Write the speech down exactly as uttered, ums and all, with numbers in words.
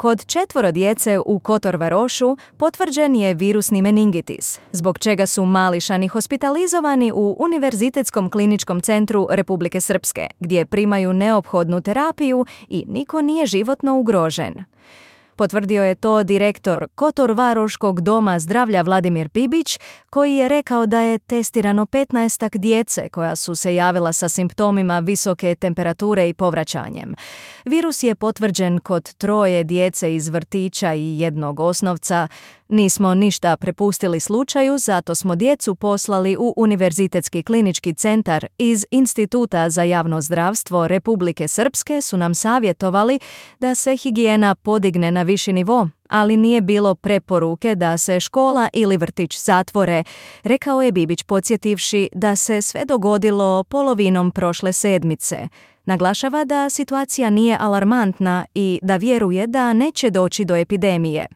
Kod četvoro djece u Kotor Varošu potvrđen je virusni meningitis, zbog čega su mališani hospitalizovani u Univerzitetskom kliničkom centru Republike Srpske, gdje primaju neophodnu terapiju i niko nije životno ugrožen. Potvrdio je to direktor Kotor Varoškog doma zdravlja Vladimir Bibić, koji je rekao da je testirano petnaestak djece koja su se javila sa simptomima visoke temperature i povraćanjem. Virus je potvrđen kod troje djece iz vrtića i jednog osnovca. Nismo ništa prepustili slučaju, zato smo djecu poslali u Univerzitetski klinički centar. Iz Instituta za javno zdravstvo Republike Srpske su nam savjetovali da se higijena podigne na viši nivo, ali nije bilo preporuke da se škola ili vrtić zatvore, rekao je Bibić podsjetivši da se sve dogodilo polovinom prošle sedmice. Naglašava da situacija nije alarmantna i da vjeruje da neće doći do epidemije.